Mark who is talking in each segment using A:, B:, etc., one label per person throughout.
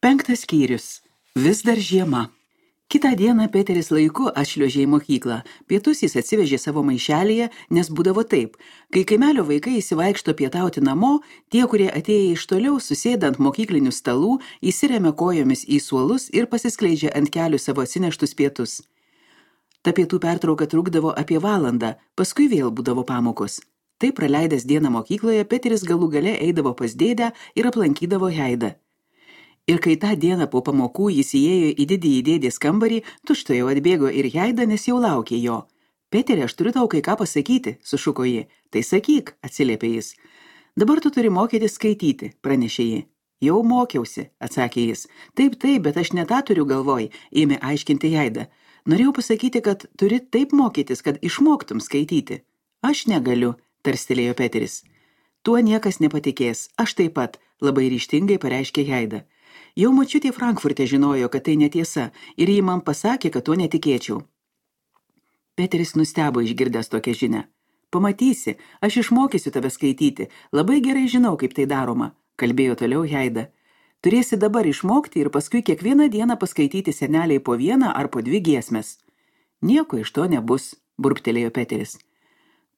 A: Penktas skyrius. Vis dar žiema. Kitą dieną Peteris laiku atšliuožė į mokyklą. Pietus jis atsivežė savo maišelėje, nes būdavo taip. Kai kaimelio vaikai įsivaikšto pietauti namo, tie, kurie atėję iš toliau, susėda ant mokyklinių stalų, įsiremia kojomis į suolus ir pasiskleidžia ant kelių savo atsineštus pietus. Ta pietų pertrauka trukdavo apie valandą, paskui vėl būdavo pamokos. Taip praleidęs dieną mokykloje, Peteris galų gale eidavo pas dėdę ir aplankydavo Heidą. Ir kai tą dieną po pamokų jis įėjo į didįjį dėdės kambarį, tučtuojau atbėgo ir Heida, nes jau laukė jo. Peteri, aš turiu tau kai ką pasakyti, sušuko ji. Tai sakyk, atsiliepė jis. Dabar tu turi mokytis skaityti, pranešė ji. Jau mokiausi, atsakė jis. Taip, bet aš ne tą turiu galvoj, ėmė aiškinti Heida. Norėjau pasakyti, kad turi taip mokytis, kad išmoktum skaityti. Aš negaliu, tarstelėjo Peteris. Tuo niekas nepatikės, aš taip pat, labai ryžtingai pareiškė Heida. Jau močiutė Frankfurte žinojo, kad tai netiesa, ir ji man pasakė, kad tuo netikėčiau. Peteris nustebo išgirdęs tokią žinią. Pamatysi, aš išmokysiu tave skaityti, labai gerai žinau, kaip tai daroma, kalbėjo toliau Heida. Turėsi dabar išmokti ir paskui kiekvieną dieną paskaityti seneliai po vieną ar po dvi giesmes. Nieko iš to nebus, burbtelėjo Peteris.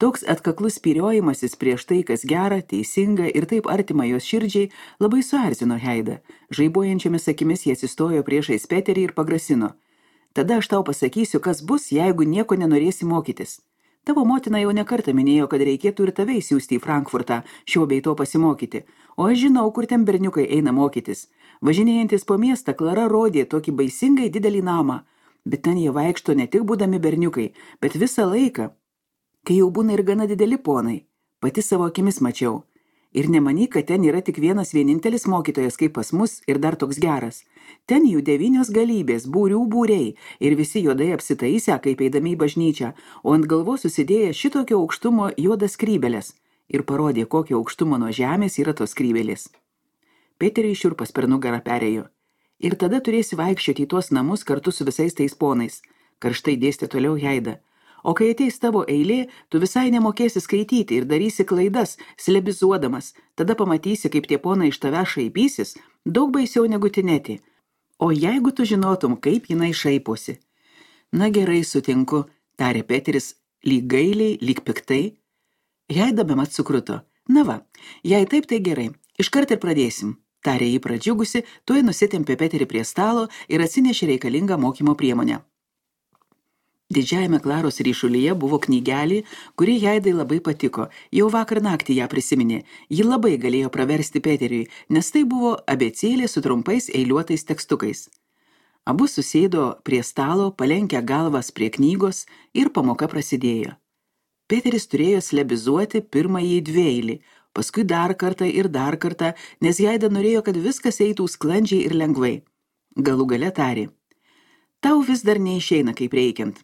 A: Toks atkaklus spyriojimasis prieš tai, kas gera, teisinga ir taip artima jos širdžiai, labai suerzino Heidą. Žaibuojančiomis akimis jie atsistojo priešais Peterį ir pagrasino. Tada aš tau pasakysiu, kas bus, jeigu nieko nenorėsi mokytis. Tavo motina jau nekartą minėjo, kad reikėtų ir tave įsiųsti į Frankfurtą, šio bei to pasimokyti. O aš žinau, kur ten berniukai eina mokytis. Važinėjantis po miestą, Klara rodė tokį baisingai didelį namą. Bet ten jie vaikšto ne tik būdami berniukai, bet visą laiką. Kai jau būna ir gana dideli ponai, pati savo akimis mačiau. Ir nemanyk, kad ten yra tik vienintelis mokytojas kaip pas mus ir dar toks geras. Ten jų 9 galybės, būrių būriai ir visi juodai apsitaisę, kaip eidami į bažnyčią, o ant galvos susidėję šitokio aukštumo juodas skrybelės ir parodė, kokio aukštumo nuo žemės yra tos skrybelės. Peteriui šiurpas per nugarą perėjo. Ir tada turėsi vaikščioti į tuos namus kartu su visais tais ponais, karštai dėstė toliau Heida. O kai ateis tavo eilė, tu visai nemokėsi skaityti ir darysi klaidas, slebizuodamas. Tada pamatysi, kaip tie ponai iš tave šaipysis, daug baisiau negu Tinetė. O jeigu tu žinotum, kaip jinai šaiposi. Na gerai, sutinku, tarė Peteris, lyg gailiai, lyg piktai. Heida bemat sukruto. Na va, jei taip, tai gerai, iškart ir pradėsim. Tarė jį pradžiugusi, tuoj nusitempė Peterį prie stalo ir atsinešė reikalingą mokymo priemonę. Didžiajame Klaros ryšulyje buvo knygelė, kuri Heidai labai patiko. Jau vakar naktį ją prisiminė. Ji labai galėjo praversti Peteriui, nes tai buvo abėcėlė su trumpais eiliuotais tekstukais. Abu susėdo prie stalo, palenkę galvas prie knygos ir pamoka prasidėjo. Peteris turėjo slebizuoti pirmąjį dvieilį, paskui dar kartą, nes Heida norėjo, kad viskas eitų sklandžiai ir lengvai. Galų gale tarė. Tau vis dar neišeina kaip reikiant.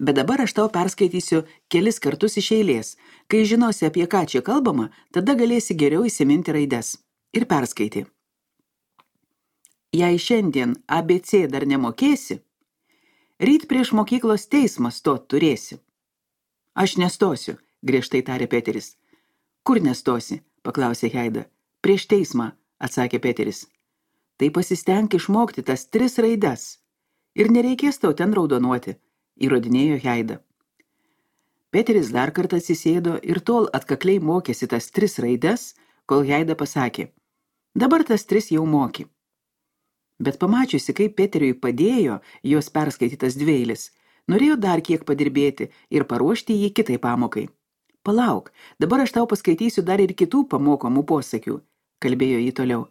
A: Bet dabar aš tau perskaitysiu kelis kartus iš eilės. Kai žinosi, apie ką čia kalbama, tada galėsi geriau įsiminti raides. Ir perskaitė. Jei šiandien ABC dar nemokėsi, ryt prieš mokyklos teismą stot turėsi. Aš nestosiu, griežtai tarė Peteris. Kur nestosi, paklausė Heida. Prieš teismą, atsakė Peteris. Tai pasistenk išmokti tas 3 raides. Ir nereikės tau ten raudonuoti. Įrodinėjo Heida. Peteris dar kartą atsisėdo ir tol atkakliai mokėsi tas 3 raides, kol Heida pasakė, dabar tas 3 jau moki. Bet pamačiusi, kaip Peteriui padėjo jos perskaitytas dveilis, norėjo dar kiek padirbėti ir paruošti jį kitai pamokai. Palauk, dabar aš tau paskaitysiu dar ir kitų pamokomų posakių, kalbėjo jį toliau.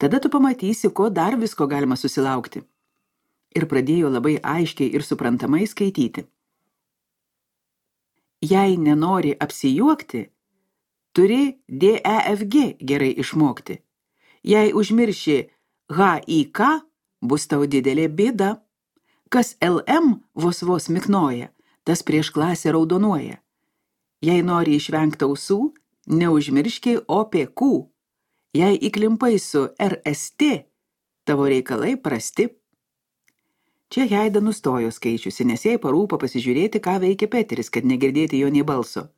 A: Tada tu pamatysi, ko dar visko galima susilaukti. Ir pradėjo labai aiškiai ir suprantamai skaityti. Jei nenori apsijuokti, turi DEFG gerai išmokti. Jei užmirši HIK, bus tau didelė bėda. Kas LM vos miknoja, tas prieš klasę raudonuoja. Jei nori išvengti ausų, neužmirški OPQ. Jei įklimpai su RST, tavo reikalai prasti. Čia Heida nustojo skaičiusi, nes jai parūpo pasižiūrėti, ką veikia Peteris, kad negirdėti jo nei balso.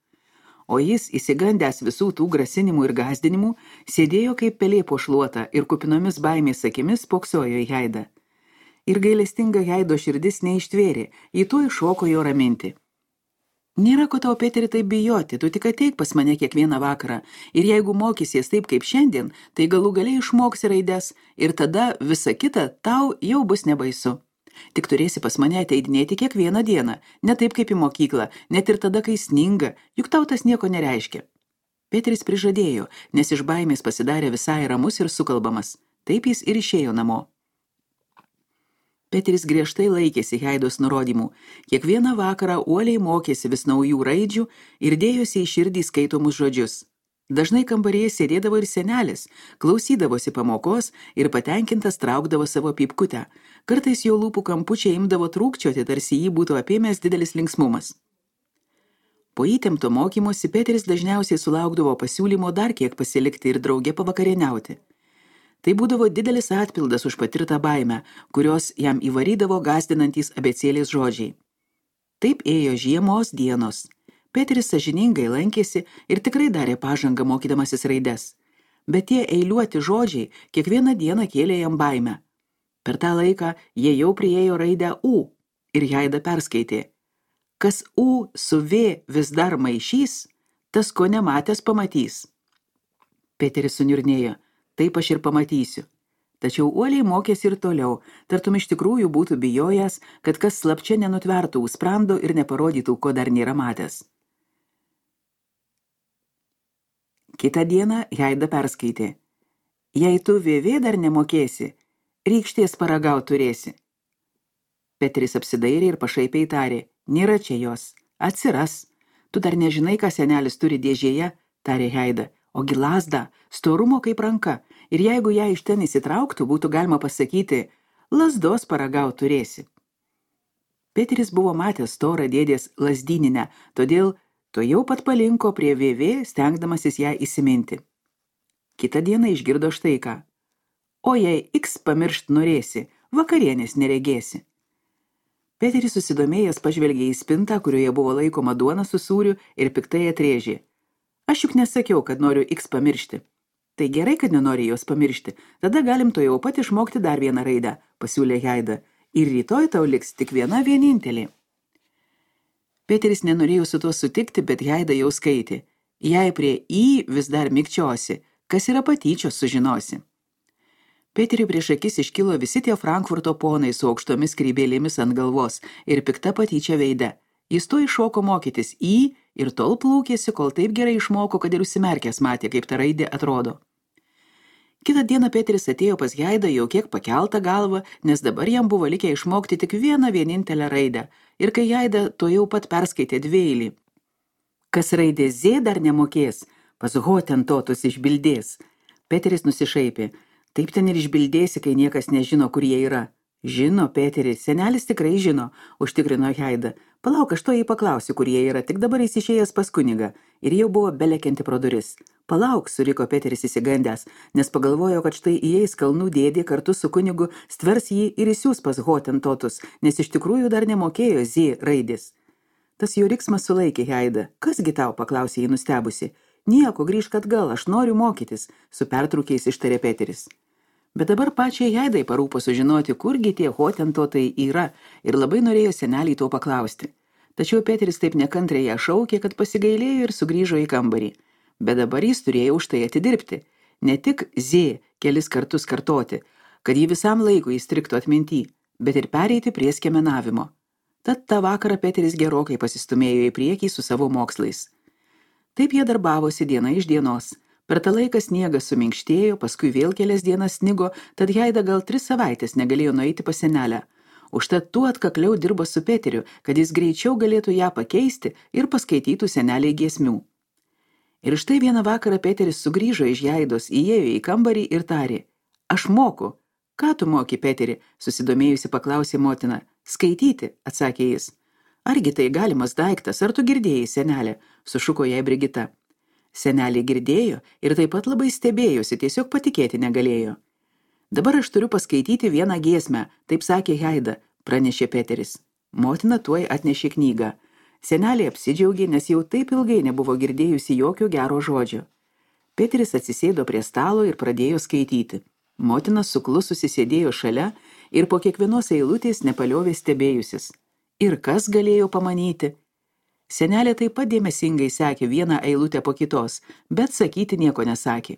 A: o jis, įsigandęs visų tų grasinimų ir gąsdinimų, sėdėjo kaip pelė po šluota ir kupinomis baimės akimis spoksojo į Haidą. Ir gailestinga Haido širdis neištvėrė, į to iššoko jo raminti. Nėra ko tau, Peteri, taip bijoti, tu tik ateik pas mane kiekvieną vakarą ir jeigu mokysies taip kaip šiandien, tai galų galiai išmoksi raides ir tada visa kita tau jau bus nebaisu. Tik turėsi pas mane ateidinėti kiekvieną dieną, ne taip kaip į mokyklą, net ir tada, kai sninga, juk tau tas nieko nereiškia. Peteris prižadėjo, nes iš baimės pasidarė visai ramus ir sukalbamas. Taip jis ir išėjo namo. Peteris griežtai laikėsi Haidos nurodymų. Kiekvieną vakarą uoliai mokėsi vis naujų raidžių ir dėjosi į širdį skaitomus žodžius. Dažnai kambaryje sėdėdavo ir senelis, klausydavosi pamokos ir patenkintas traukdavo savo pypkutę. Kartais jo lūpų kampučiai imdavo trūkčioti, tarsi jį būtų apėmęs didelis linksmumas. Po įtempto mokymosi Peteris dažniausiai sulaukdavo pasiūlymo dar kiek pasilikti ir drauge pavakarieniauti. Tai būdavo didelis atpildas už patirtą baimę, kurios jam įvarydavo gąsdinantys abėcėlės žodžiai. Taip ėjo žiemos dienos. Peteris sąžiningai lankėsi ir tikrai darė pažangą mokydamasis raides. Bet tie eiliuoti žodžiai kiekvieną dieną kėlė jam baimę. Per tą laiką jie jau priėjo raidę U ir Haida perskaitė. Kas U su V vis dar maišys, tas ko nematęs pamatys. Peteris suniurnėjo. Taip aš ir pamatysiu. Tačiau uoliai mokėsi ir toliau, tartum iš tikrųjų būtų bijojęs, kad kas slapčia nenutvertų sprando ir neparodytų, ko dar nėra matęs. Kitą dieną Haida perskaitė. Jei tu VV dar nemokėsi, rykštės paragaut turėsi. Peteris apsidairė ir pašaipiai tarė. Nėra čia jos. Atsiras. Tu dar nežinai, ką senelis turi dėžėje, tarė Haida. Ogi lazdą, storumo kaip ranka, ir jeigu ją iš ten įsitrauktų, būtų galima pasakyti, lazdos paragaut turėsi. Peteris buvo matęs storą dėdės lazdyninę, todėl to jau pat palinko prie VV, stengdamasis ją įsiminti. Kitą dieną išgirdo štai ką. O jei X pamiršt norėsi, vakarienės neregėsi. Peteris susidomėjęs pažvelgė į spintą, kurioje buvo laikoma duona su sūriu ir piktai atrėžė. Aš juk nesakiau, kad noriu X pamiršti. Tai gerai, kad nenori jos pamiršti. Tada galim to jau pat išmokti dar vieną raidę, pasiūlė Haida. Ir rytoj tau liks tik viena vienintelė. Peteris nenorėjo su tuo sutikti, bet Haida jau skaitė. Jei prie I vis dar mikčiosi, kas yra patyčios sužinosi. Peteriui prieš akis iškilo visi tie Frankfurto ponai su aukštomis skrybėlėmis ant galvos ir pikta patyčia veide. Jis to iššoko mokytis I ir tol plūkėsi, kol taip gerai išmoko, kad ir užsimerkęs matė, kaip ta raidė atrodo. Kitą dieną Peteris atėjo pas Haidą jau kiek pakeltą galvą, nes dabar jam buvo likę išmokti tik vieną vienintelę raidę, ir kai Haida to jau pat perskaitė dvieilį. Kas raidė Z dar nemokės, pas Hotentotus išbildės. Peteris nusišaipė. Taip ten ir išbildėsi, kai niekas nežino, kur jie yra. Žino, Peteris, senelis tikrai žino, užtikrino Haida. Palauk, aš to jį paklausiu, kur jie yra, tik dabar jis išėjęs pas kunigą. Ir jau buvo belekianti pro duris. Palauk, suriko Peteris įsigandęs, nes pagalvojo, kad štai įeis kalnų dėdė kartu su kunigu, stvers jį ir įsiūs pas Hotentotus, nes iš tikrųjų dar nemokėjo Z raidės. Tas jo riksmas sulaikė Haidą. Kasgi tau, paklausė jį nustebusi. Nieko, grįžk atgal, aš noriu mokytis, su pertrūkiais ištarė Peteris. Bet dabar pačiai Haidai parūpo sužinoti, kurgi tie Hotentotai yra, ir labai norėjo senelį to paklausti. Tačiau Peteris taip nekantriai ją šaukė, kad pasigailėjo ir sugrįžo į kambarį. Bet dabar jis turėjo už tai atidirbti. Ne tik Z kelis kartus kartoti, kad jį visam laikui įstriktų atminty, bet ir pereiti prie skiemenavimo. Tad tą vakarą Peteris gerokai pasistumėjo į priekį su savo mokslais. Taip jie darbavosi diena iš dienos. Per tą laiką sniegas suminkštėjo, paskui vėl kelias dienas snigo, tad Haida gal 3 savaitės negalėjo nueiti pas senelę. Užtat tuo atkakliau dirbo su Peteriu, kad jis greičiau galėtų ją pakeisti ir paskaitytų seneliai giesmių. Ir štai vieną vakarą Peteris sugrįžo iš Haidos, įėjo į kambarį ir tarė. Aš moku. Ką tu moki, Peteri? Susidomėjusi paklausė motina. Skaityti, atsakė jis. Argi tai galimas daiktas, ar tu girdėjai, senelė? Sušuko jai Brigita. Senelė girdėjo ir taip pat labai stebėjosi, tiesiog patikėti negalėjo. Dabar aš turiu paskaityti vieną giesmę, taip sakė Haida, pranešė Peteris. Motina tuoj atnešė knygą. Senelė apsidžiaugė, nes jau taip ilgai nebuvo girdėjusi jokio gero žodžio. Peteris atsisėdo prie stalo ir pradėjo skaityti. Motina suklususi sėdėjo šalia ir po kiekvienos eilutės nepaliovė stebėjusis. Ir kas galėjo pamanyti? Senelė taip pat dėmesingai sekė vieną eilutę po kitos, bet sakyti nieko nesakė.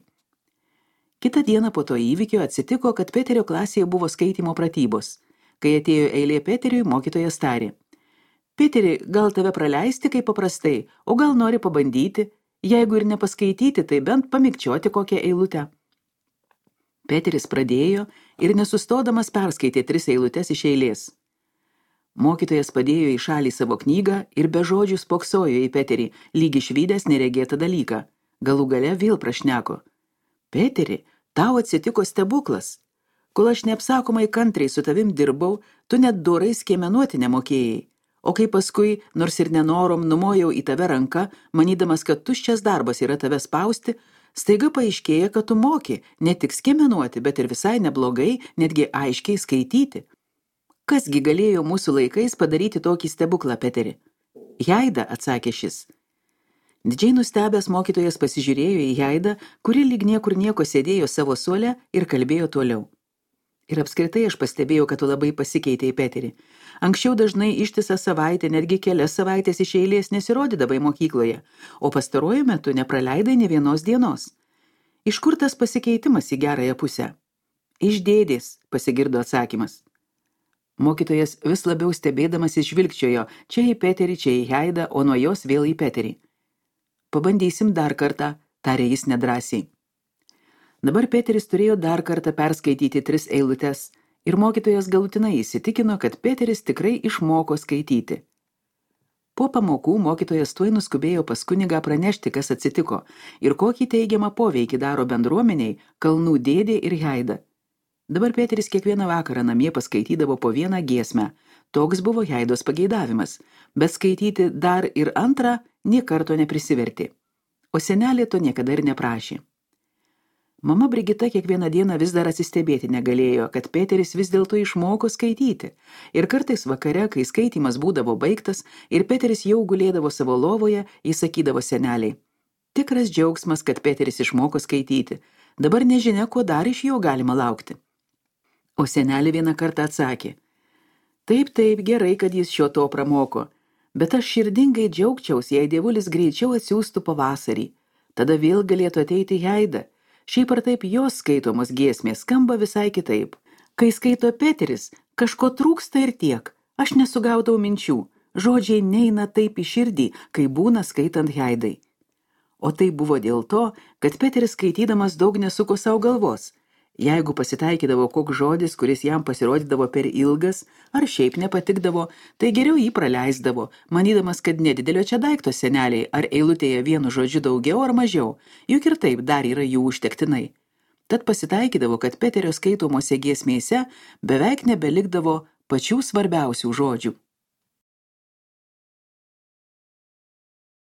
A: Kitą dieną po to įvykio atsitiko, kad Peterio klasėje buvo skaitymo pratybos. Kai atėjo eilė Peteriui, mokytojas tarė: Peteri, gal tave praleisti kaip paprastai, o gal nori pabandyti, jeigu ir nepaskaityti, tai bent pamikčioti kokią eilutę. Peteris pradėjo ir nesustodamas perskaitė 3 eilutes iš eilės. Mokytojas padėjo į šalį savo knygą ir be žodžių spoksojo į Peterį, lyg išvydęs neregėtą dalyką. Galų gale vėl prašneko: Peteri, tau atsitiko stebuklas. Kol aš neapsakomai kantriai su tavim dirbau, tu net dorai skiemenuoti nemokėjai. O kai paskui, nors ir nenorom, numojau į tave ranką, manydamas, kad tuščias darbas yra tave spausti, staiga paaiškėja, kad tu moki ne tik skiemenuoti, bet ir visai neblogai, netgi aiškiai skaityti. Kasgi galėjo mūsų laikais padaryti tokį stebuklą, Peteri? Jaida, atsakė šis. Didžiai nustebęs mokytojas pasižiūrėjo į Jaidą, kuri lyg niekur nieko sėdėjo savo suole ir kalbėjo toliau. Ir apskritai aš pastebėjau, kad tu labai pasikeitei, Peteri. Anksčiau dažnai ištisą savaitę, netgi kelias savaitės iš eilės nesirodydavai mokykloje, o pastaruoju metu nepraleidai nė vienos dienos. Iš kur tas pasikeitimas į gerąją pusę? Iš dėdės, pasigirdo atsakymas. Mokytojas vis labiau stebėdamas žvilgčiojo, čia į Peterį, čia į Jaidą, o nuo jos vėl į Peterį. Pabandysim dar kartą, tarė jis nedrąsiai. Dabar Peteris turėjo dar kartą perskaityti 3 eilutes ir mokytojas galutinai įsitikino, kad Peteris tikrai išmoko skaityti. Po pamokų mokytojas tuoj nuskubėjo pas kunigą pranešti, kas atsitiko ir kokį teigiamą poveikį daro bendruomeniai Kalnų dėdė ir Jaida. Dabar Peteris kiekvieną vakarą namie paskaitydavo po vieną giesmę. Toks buvo Jaidos pageidavimas, bet skaityti dar ir antrą nė karto neprisivertė. O senelė to niekada ir neprašė. Mama Brigita kiekvieną dieną vis dar atsistebėti negalėjo, kad Peteris vis dėlto išmoko skaityti. Ir kartais vakare, kai skaitymas būdavo baigtas ir Peteris jau gulėdavo savo lovoje, jis sakydavo seneliai: Tikras džiaugsmas, kad Peteris išmoko skaityti. Dabar nežinia, ko dar iš jo galima laukti. O senelė vieną kartą atsakė: Taip, gerai, kad jis šio to pramoko. Bet aš širdingai džiaugčiaus, jei dievulis greičiau atsiųstų pavasarį. Tada vėl galėtų ateiti Jaida. Šiaip ar taip jos skaitomos giesmės skamba visai kitaip. Kai skaito Peteris, kažko trūksta ir tiek. Aš nesugaudau minčių. Žodžiai neina taip į širdį, kai būna skaitant Jaidai. O tai buvo dėl to, kad Peteris skaitydamas daug nesuko savo galvos. Jeigu pasitaikydavo koks žodis, kuris jam pasirodydavo per ilgas, ar šiaip nepatikdavo, tai geriau jį praleisdavo, manydamas, kad nedidelio čia daikto seneliai, ar eilutėje vienu žodžiu daugiau ar mažiau, juk ir taip dar yra jų užtektinai. Tad pasitaikydavo, kad Peterio skaitomose giesmėse beveik nebelikdavo pačių svarbiausių žodžių.